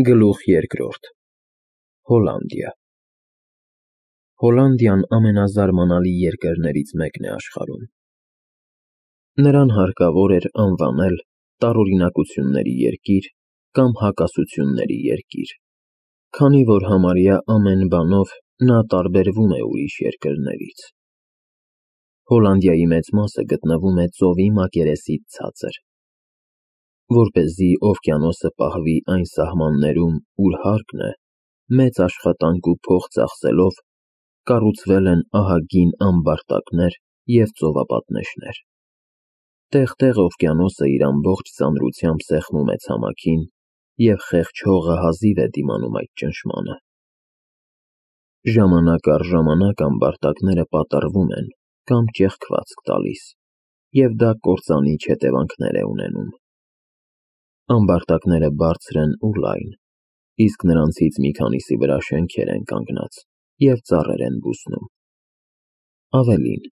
Գլուխ երկրորդ Հոլանդիա Հոլանդիան ամենազարմանալի երկրներից մեկն է աշխարհում։ Նրան հարկավոր էր անվանել տարօրինակությունների երկիր կամ հակասությունների երկիր, քանի որ համարյա ամեն բանով նա տարբերվում է ուրիշ երկրներից։ Հոլանդիայի մեծ մասը գտնվում է ծովի մակերեսից ցածր։ Որպեսզի օվկիանոսը պահվի այն սահմաններում, ուր հարկն է, մեծ աշխատանք ու փող ծախսելով կառուցվել են ահագին ամբարտակներ և ծովապատնեշներ։ Տեղ-տեղ օվկիանոսը իր ամբողջ ծանրությամբ սեղմում է ցամաքին, և խեղճ հողը հազիվ է դիմանում այդ ճնշմանը։ Ժամանակ առ ժամանակ ամբարտակները պատռվում են կամ ճեղքվածք տալիս, և դա կործանիչ հետևանքներ է ունենում։ Ամբարտակները բարձր են ու լայն, իսկ նրանցից մի քանիսի վրա շենքեր են կանգնած և ծառեր են բուսնում։ Ավելին,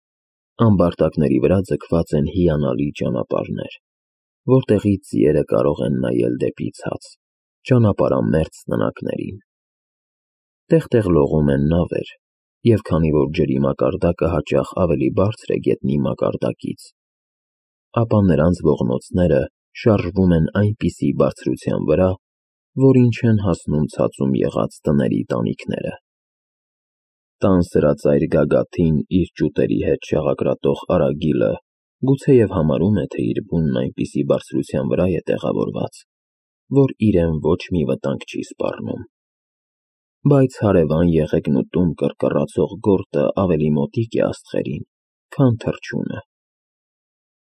ամբարտակների վրա ձգված են հիանալի ճանապարհներ, որտեղից ձիերը կարող են նայել դեպի ցած, ճանապարհամերձ տնակներին։ Տեղ-տեղ լողում են նավեր, և քանի որ ջրի մակարդակը հաճախ ավելի բարձր է գետնի մակարդակից, ապա նրանց ողնոցները շարժվում են այնպիսի բարձրության վրա, որին չեն հասնում ցածում եղած տների տանիքները։ Տան սրածայր գագաթին իր ճուտերի հետ շաղակրատող արագիլը գուցեև համարում է, թե իր բունն այնպիսի բարձրության վրա է տեղավորված, որ իրեն ոչ մի վտանգ չի սպառնում։ Բայց հարևան Եղեգնուտում կռկռացող գորտը ավելի մոտիկ է աստղերին, քան թռչունը։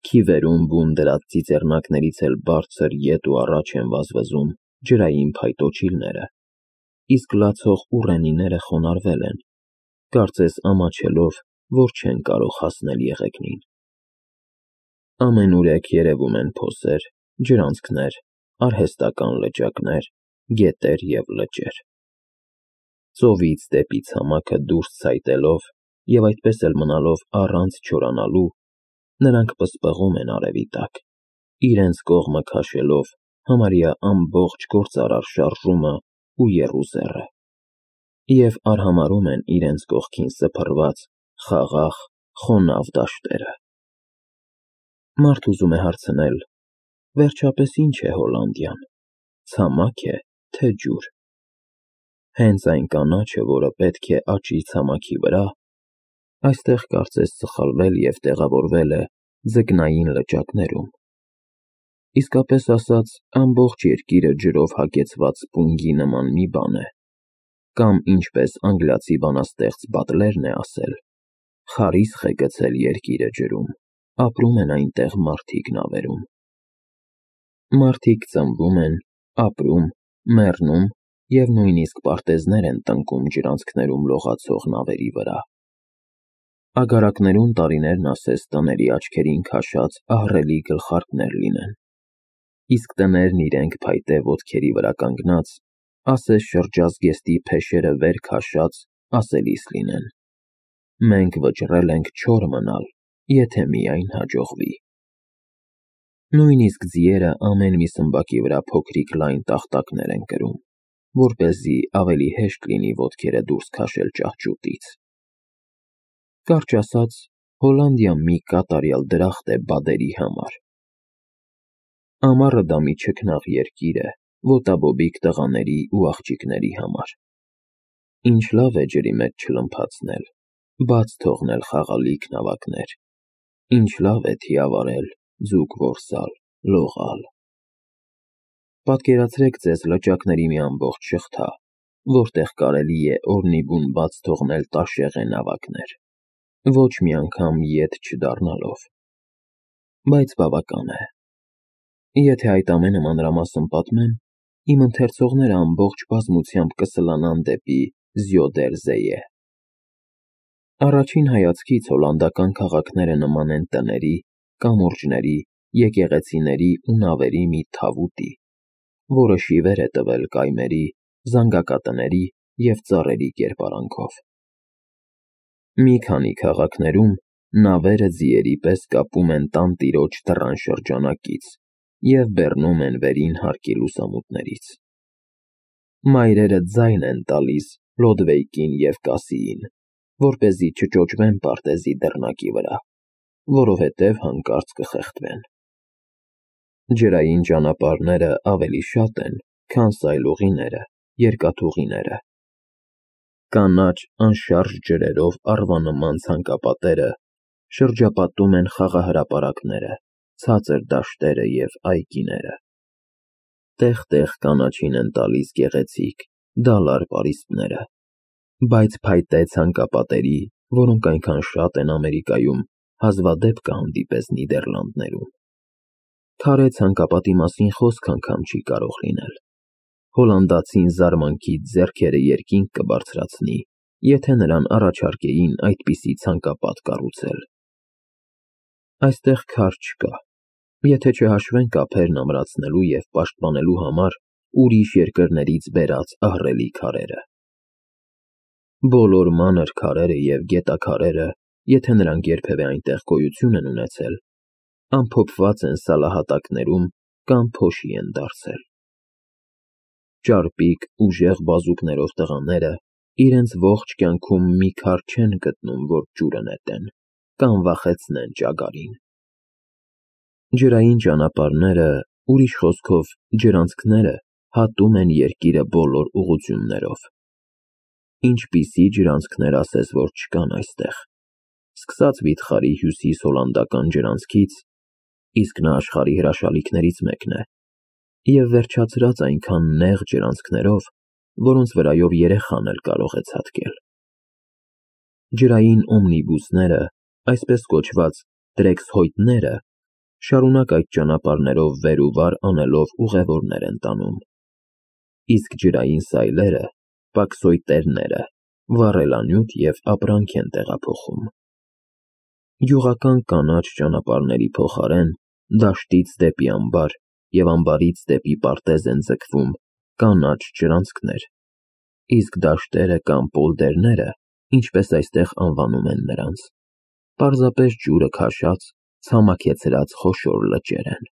Քիվերում բուն դրած ծիծեռնակներից էլ բարձր ետ ու առաջ են վազվզում ջրային փայտոջիլները, իսկ լացող ուռենիները խոնարհվել են, կարծես ամաչելով, որ չեն կարող հասնել եղեգնին։ Ամենուրեք երևում են փոսեր, ջրանցքներ, արհեստական լճակներ, գետեր և լճեր։ Ծովից դեպի ցամաքը դուրս ցայտելով և այդպես էլ մնալով առանց չորանալու, նրանք պսպղում են արևի տակ, իրենց կողմը քաշելով համարյա ամբողջ գործարար շարժումը ու եռուզեռը, և արհամարհում են իրենց կողքին սփռված խաղաղ, խոնավ դաշտերը։ Մարդ ուզում է հարցնել. վերջապես ի՞նչ է Հոլանդիան, ցամաք է, թե ջուր։ Հենց այն կանաչը, որը պետք է աճի ցամաքի վրա, այստեղ կարծես սխալվել և տեղավորվել է ձկնային լճակներում։ Իսկապես ասած, ամբողջ երկիրը ջրով հագեցված սպունգի նման մի բան է, կամ ինչպես անգլիացի բանաստեղծ Բադլերն է ասել. խարիսխ է գցել երկիրը ջրում, ապրում են այնտեղ մարդիկ նավերում։ Մարդիկ ծնվում են, ապրում, մեռնում և նույնիսկ պարտեզներ են տնկում ջրանցքներում լողացող նավերի վրա։ Ագարակներում տարիներն ասես տների աչքերին քաշած ահռելի գլխարկներ լինեն, իսկ տներն իրենք փայտե ոտքերի վրա կանգնած, ասես շրջազգեստի փեշերը վեր քաշած, ասելիս լինեն. մենք վճռել ենք չոր մնալ, եթե միայն հաջողվի։ Նույնիսկ ձիերը ամեն մի սմբակի վրա փոքրիկ լայն տախտակներ են կրում, որպեսզի ավելի հեշտ լինի ոտքերը դուրս քաշել ճահճուտից։ Կարճ ասած, Հոլանդիան մի կատարյալ դրախտ է բադերի համար։ Ամառը դա մի չքնաղ երկիր է ոտաբոբիկ տղաների ու աղջիկների համար։ Ինչ լավ է ջրի մեջ չլմփացնել, բաց թողնել խաղալիք նավակներ, ինչ լավ է թիավարել, ձուկ որսալ, լողալ։ Պատկերացրեք ձեզ լճակների մի ամբողջ շղթա, որտեղ կարելի է օրնիբուն բաց թողնել տաշեղե նավակներ, ոչ մի անգամ ետ չդառնալով։ Բայց բավական է։ Եթե այդ ամենը մանրամասն պատմեմ, իմ ընթերցողները ամբողջ բազմությամբ կսլանան դեպի Զյոդերզեե։ Առաջին հայացքից հոլանդական քաղաքները նման են տների, կամուրջների, եկեղեցիների ու նավերի մի թավուտի, որը շիվեր է տվել կայմերի, զանգակատների և ծառերի կերպարանքով։ Մի քանի քաղաքներում նավերը ձիերի պես կապում են տանտիրոջ դռան շրջանակից և բեռնում են վերին հարկի լուսամուտներից։ Մայրերը ձայն են տալիս Լոդվեյկին և Կասիին, որպեսզի չճոճվեն պարտեզի դռնակի վրա, որովհետև հանկարծ կխեղդվեն։ Ջրային ճանապարհները ավելի շատ են, քան սայլուղիները, երկաթուղիները։ Կանաչ անշարժ ջրերով առվանման ցանկապատերը շրջապատում են խաղահրապարակները, ցածր դաշտերը և այգիները։ Տեղ-տեղ կանաչին են տալիս գեղեցիկ, դալար պարիսպները, բայց փայտե ցանկապատերի, որոնք այնքան շատ են Ամերիկայում, հազվադեպ կհանդիպես Նիդերլանդներում։ Քարե ցանկապատի մասին խոսք անգամ չի կարող լինել։ Հոլանդացին զարմանքից ձեռքերը երկինք կբարձրացնի, եթե նրան առաջարկեին այդպիսի ցանկապատ կառուցել։ Այստեղ քար չկա, եթե չհաշվենք ափերն ամրացնելու և պաշտպանելու համար ուրիշ երկրներից բերած ահռելի քարերը։ Բոլոր մանր քարերը և գետաքարերը, եթե նրանք երբևէ այնտեղ գոյություն են ունեցել, ամփոփված են սալահատակներում կամ փոշի են դարձել։ Ճարպիկ, ուժեղ բազուկներով տղաները իրենց ողջ կյանքում մի քար չեն գտնում, որ ջուրը նետեն կամ վախեցնեն ճագարին։ Ջրային ճանապարհները, ուրիշ խոսքով ջրանցքները, հատում են երկիրը բոլոր ուղղություններով։ Ինչպիսի ջրանցքներ ասես, որ չկան այստեղ։ Սկսած վիթխարի հյուսիս֊հոլանդական ջրանցքից, իսկ նա աշխարհի հրաշալիքներից մեկն է, և վերջացրած այնքան նեղ ջրանցքներով, որոնց վրայով երեխան էլ կարող է ցատկել։ Ջրային օմնիբուսները, այսպես կոչված տրեքսհոյթները, շարունակ այդ ճանապարհներով վեր ու վար անելով ուղևորներ են տանում, իսկ ջրային սայլերը, պաքսոյտերները, վառելանյութ և ապրանք են տեղափոխում։ Գյուղական կանաչ ճանապարհների փոխարեն դաշտից դեպի ամբար և ամբարից դեպի պարտեզ են ձգվում կանաչ ջրանցքներ, իսկ դաշտերը կամ պոլդերները, ինչպես այստեղ անվանում են նրանց, պարզապես ջուրը քաշած, ցամաքեցրած խոշոր լճեր են։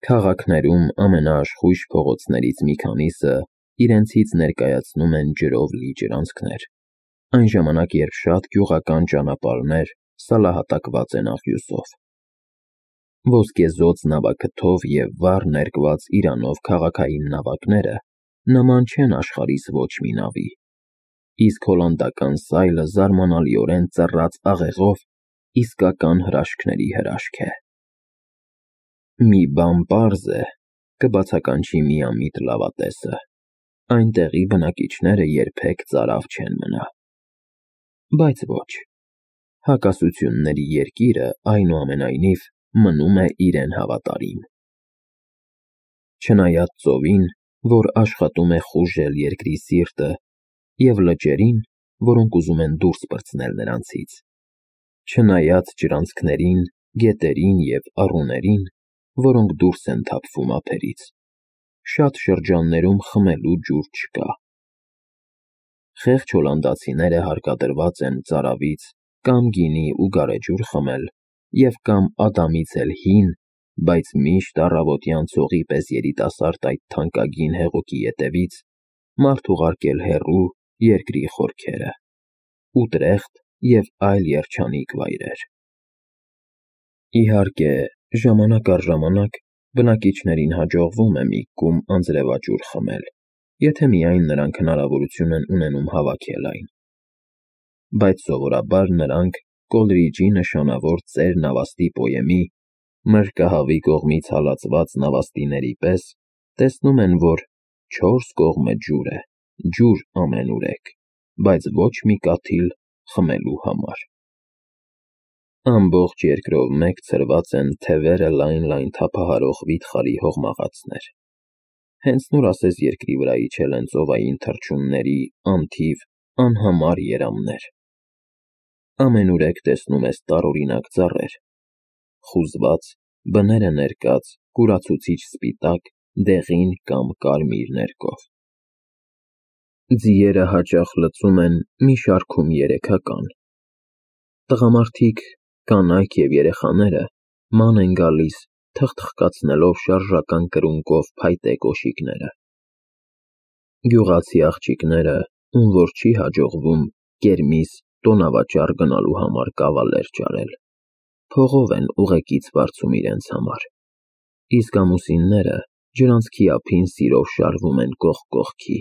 Քաղաքներում ամենաաշխույժ փողոցներից մի քանիսը իրենցից ներկայացնում են ջրով լի ջրանցքներ, այն ժամանակ, երբ շատ գյուղական ճանապարհներ սալահատակված են աղյուսով։ Ոսկեզօծ նավաքթով և վառ ներկված իրանով քաղաքային նավակները նման չեն աշխարհիս ոչ մի նավի, իսկ հոլանդական սայլը զարմանալիորեն ծռած աղեղով իսկական հրաշքների հրաշք է։ Մի բան պարզ է, կբացականչի միամիտ լավատեսը, այնտեղի բնակիչները երբեք ծարավ չեն մնա։ Բայց ոչ, հակասությունների երկիրը, այնուամենայնիվ, մնում է իրեն հավատարիմ։ Չնայած ծովին, որ աշխատում է խուժել երկրի սիրտը, և լճերին, որոնք ուզում են դուրս պրծնել նրանցից, չնայած ջրանցքներին, գետերին և առուներին, որոնք դուրս են թափվում ափերից, շատ շրջաններում խմելու ջուր չկա։ Խեղճ հոլանդացիները հարկադրված են ծարավից կամ գինի ու գարեջուր խմել և կամ ադամից էլ հին, բայց միշտ առավոտյան ցողի պես երիտասարդ այդ թանկագին հեղուկի ետևից մարդ ուղարկել հեռու երկրի խորքերը, Ուտրեխտ և այլ երջանիկ վայրեր։ Իհարկե, ժամանակ առ ժամանակ բնակիչներին հաջողվում է մի կում անձրևաջուր խմել, եթե միայն նրանք հնարավորություն են ունենում հավաքել այն։ Բայց սովորաբար նրանք Կոլրիջի նշանավոր ծեր նավաստի պոեմի «Մրրկահավի կողմից հալածված նավաստիների» պես տեսնում են, որ չորս կողմը ջուր է, ջուր ամենուրեք, բայց ոչ մի կաթիլ խմելու համար։ Ամբողջ երկրով մեկ ցրված են թևերը լայն-լայն թափահարող վիթխարի հողմաղացներ։ Հենց նոր ասես երկրի վրա իջել են ծովային թռչունների անթիվ, անհամար երամներ։ Ամենուրեք տեսնում ես տարօրինակ ծառեր, խուզված, բները ներկած, կուրացուցիչ սպիտակ, դեղին կամ կարմիր ներկով։ Ձիերը հաճախ լծում են մի շարքում երեքական։ Տղամարդիկ, կանայք և երեխաները ման են գալիս, թխթխկացնելով շարժական կրունկով փայտե կոշիկները։ Գյուղացի աղջիկները, ում որ չի հաջողվում Կերմիս տոնավաճառ գնալու համար կավալեր ճարել, փողով են ուղեկից վարձում իրենց համար, իսկ ամուսինները ջրանցքի ափին սիրով շարվում են կողք կողքի,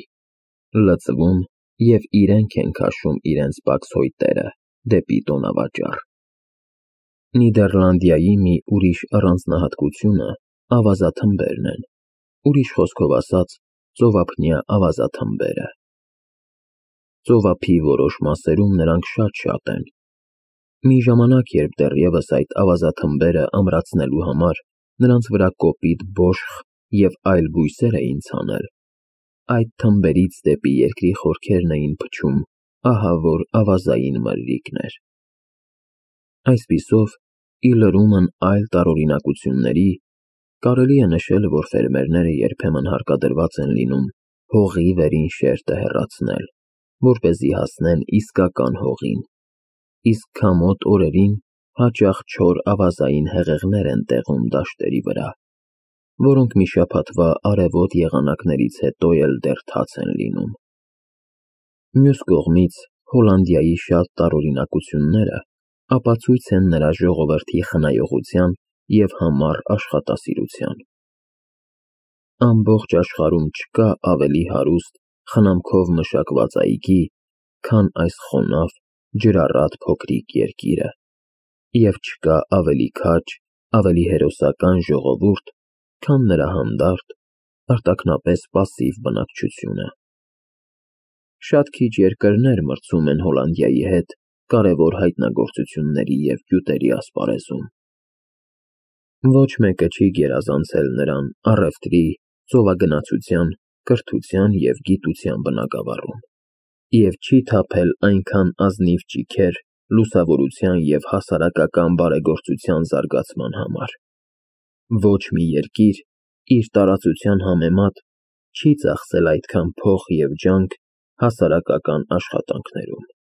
լծվում և իրենք են քաշում իրենց պակս հոյտերը դեպի տոնավաճառ։ Նիդերլանդիայի մի ուրիշ առանձնահատկությունը ավազաթմբերն են, ուրիշ խոսքով ասած, ծովափնյա ավազաթմբերը։ Ծովափի որոշ մասերում նրանք շատ են։ Մի ժամանակ, երբ դեռևս այդ ավազաթմբերը ամրացնելու համար նրանց վրա կոպիտ բոշխ և այլ բույսեր էին ցանել, այդ թմբերից դեպի երկրի խորքերն էին փչում ահավոր ավազային մրրիկներ։ Այսպիսով, ի լրումն այլ տարօրինակությունների, կարելի է նշել, որ ֆերմերները երբեմն հարկադրված են լինում հողի վերին շերտը հեռացնել, որպեսզի հասնեն իսկական հողին, իսկ քամոտ օրերին հաճախ չոր ավազային հեղեղներ են տեղում դաշտերի վրա, որոնք մի շաբաթվա արևոտ եղանակներից հետո էլ դեռ թաց են լինում։ Մյուս կողմից, Հոլանդիայի շատ տարօրինակությունները ապացույց են նրա ժողովրդի խնայողության և համառ աշխատասիրության։ Ամբողջ աշխարհում չկա ավելի հարուստ, խնամքով մշակված այգի, քան այս խոնավ, ջրառատ փոքրիկ երկիրը, և չկա ավելի քաջ, ավելի հերոսական ժողովուրդ, քան նրա հանդարտ, արտաքնապես պասիվ բնակչությունը։ Շատ քիչ երկրներ մրցում են Հոլանդիայի հետ կարևոր հայտնագործությունների և գյուտերի ասպարեզում։ Ոչ մեկը չի գերազանցել նրան առևտրի, ծովագնացության, կրթության և գիտության բնագավառում և չի թափել այնքան ազնիվ ճիգեր լուսավորության և հասարակական բարեգործության զարգացման համար։ Ոչ մի երկիր իր տարածության համեմատ չի ծախսել այդքան փող և ջանք հասարակական աշխատանքներում։